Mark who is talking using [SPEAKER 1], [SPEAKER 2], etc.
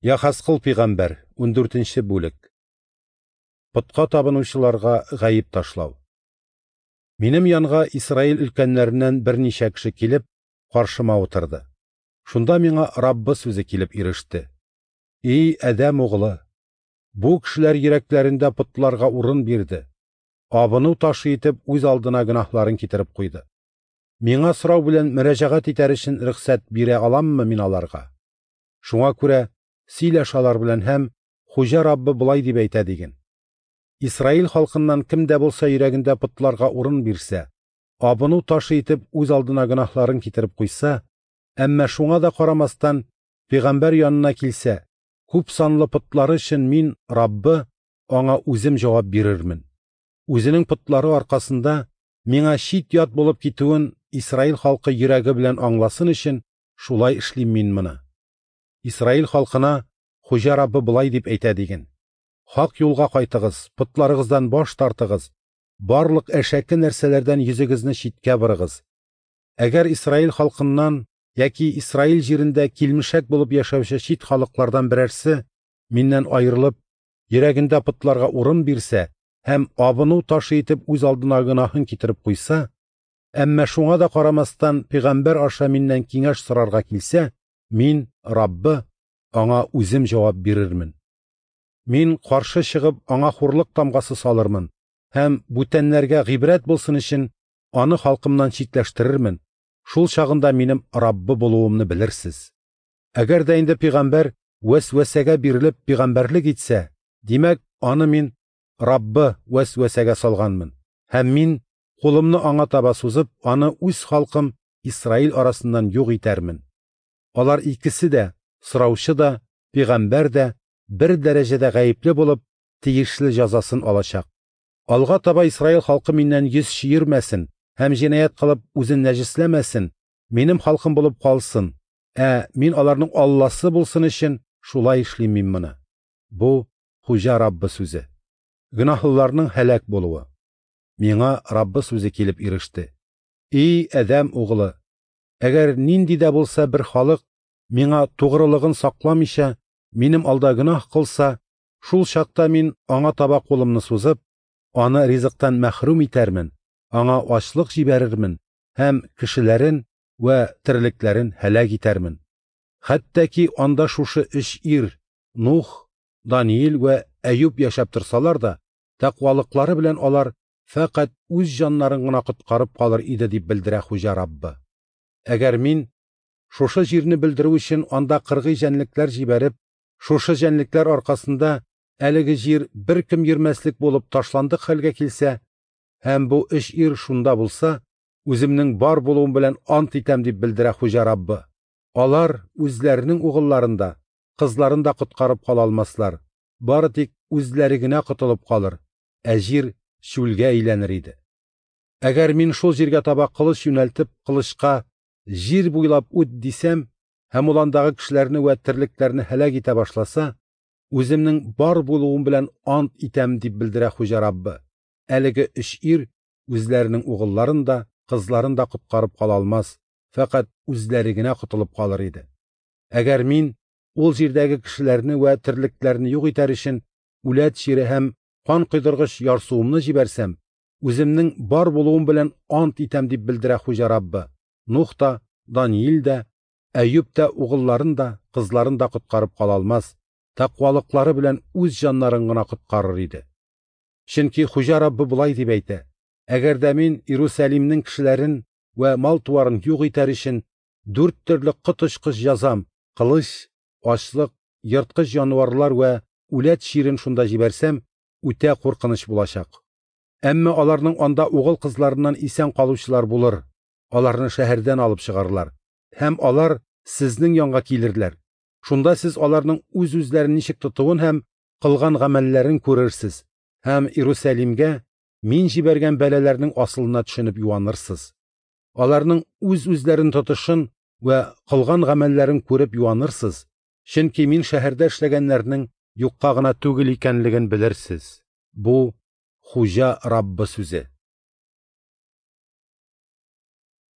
[SPEAKER 1] Яхәзкыл пигамбәр, 14 бүлек. Потка табынучыларга гаеп ташлау. Минем янга Исраил өлкәннәреннән берничә кеше килеп, каршыма утырды. Шунда миңа Раббы сүзе килеп иреште. И Адәм углы, бу кешеләр йөрәкләрендә потларга урын бирде. Абыну ташы итеп үз алдына гөнаһларын китереп куйды. Миңа сорау белән мөрәҗәгать итәр өчен рөхсәт бирә аламмы мин аларга? Шуңа күрә сөйләш алар белән һәм Хуҗа Раббы болай дип әйтә диген. Исраил халкыннан кем дә булса йөрәгендә потларга урын бирсә, абыну ташы итеп үз алдына гөнаһларын китереп куйса, әмма шуңа да карамастан пәйгамбәр янына килсә, күп санлы потлары өчен мин, Раббы, аңа үзем җавап бирермен. Үзенең потлары аркасында миңа чит-ят булып китүен Исраил халкы йөрәге белән аңласын өчен шулай эшлим мин моны. Исраил халкына Хуҗа Раббы болай дип әйтә диген: Хак юлга кайтыгыз, потларыгыздан баш тартыгыз, барлык әшәке нәрсәләрдән йөзегезне читкә борыгыз. Әгәр Исраил халкыннан яки Исраил җирендә килмешәк булып яшәүче чит халыклардан берәрсе миннән аерылып, йөрәгендә потларга урын бирсә һәм абыну ташы итеп үз алдына гөнаһын китереп куйса, әмма шуңа да карамастан пәйгамбәр аша миннән киңәш сорарга килсә, мин, Раббы, аңа үзем җавап бирермен. Мин каршы чыгып аңа хурлык тамгасы салырмын һәм бүтәннәргә гыйбрәт булсын өчен аны халкымнан читләштерермен. Шул чагында минем Раббы булуымны белерсез. Әгәр дә инде пәйгамбәр вәсвәсәгә бирелеп пәйгамбәрлек итсә, димәк, аны мин Раббы вәсвәсәгә салганмын. Һәм мин кулымны аңа таба сузып, аны үз халкым Исраил арасыннан юк итәрмен. Алар икесе дә, сораучы да, пәйгамбәр дә бер дәрәҗәдә гаепле булып, тиешле җәзасын алачак. Алга таба Исраил халкы миннән йөз чөермәсен һәм җинаять кылып үзен нәҗесләмәсен, минем халкым булып калсын, ә мин аларның Алласы булсын өчен шулай эшлим мин моны. Бу Хуҗа Раббы сүзе. Гөнаһлыларның һәлак булуы. Миңа Раббы сүзе килеп иреште. И Адәм углы, әгәр нинди дә булса бер халык миңа тугрылыгын сакламыйча минем алда гөнаһ кылса, шул чакта мин аңа таба кулымны сузып, аны ризыктан мәхрүм итәрмен, аңа ачлык җибәрермен һәм кешеләрен вә терлекләрен һәлак итәрмен. Хәтта ки анда шушы өч ир Нух, Даниил вә Әюб яшәп торсалар да, тәкъвалыклары белән алар фәкать үз җаннарын гына коткарып калыр иде дип белдерә Хуҗа Раббы. Әгәр мин шушы җирне белдерү өчен анда кыргый җәнлекләр җибәреп, шушы җәнлекләр аркасында әлеге җир беркем йөрмәслек булып ташландык хәлгә килсә, һәм бу өч ир шунда булса, үземнең бар булуым белән ант итәм дип белдерә Хуҗа Раббы. Алар үзләренең угылларын да, кызларын да коткарып кала алмаслар. Бары тик үзләре генә котылып калыр, ә җир чүлгә әйләнер иде. Әгәр мин шул җиргә таба кылыч юнәлтеп, кылычка җир буйлап үт дисәм, һәм ул андагы кешеләрне вә терлекләрне һәлак итә башласа, үземнең бар булуым белән ант итәм дип белдерә Хуҗа Раббы. Әлеге өч ир үзләренең угылларын да, кызларын да коткарып кала алмас, фәкать үзләре генә котылып калыр иде. Әгәр мин ул җирдәге кешеләрне вә терлекләрне юк итәр өчен үләт чире һәм кан койдыргыч ярсуымны җибәрсәм, үземнең бар булуым белән ант итәм дип белдерә Хуҗа Раббы. Нух та, Даниил дә, Әюб тә угылларын да, кызларын да коткарып кала алмас, тәкъвалыклары белән үз җаннарын гына коткарыр иде. Чөнки Хуҗа Раббы болай дип әйтә: Әгәр дә мин Иерусалимнең кешеләрен вә мал-туарын юк итәр өчен дүрт төрле коточкыч җәзам, кылыч, ачлык, ерткыч җанварлар вә үләт чирен шунда җибәрсәм, үтә куркыныч булачак. Әмма аларның анда угыл кызларыннан исән калучылар булыр, аларны шәһәрдән алып чыгарлар, һәм алар сезнең янга килерләр. Шунда сез аларның үз-үзләрен ничек тотуын һәм кылган гамәлләрен күрерсез, һәм Иерусалимгә мин җибәргән бәлаләрнең асылына төшенеп юанырсыз. Аларның үз-үзләрен тотышын вә кылган гамәлләрен күреп юанырсыз, чөнки мин шәһәрдә эшләгәннәрнең юкка гына түгел икәнлеген белерсез. Бу Хуҗа Раббы сүзе.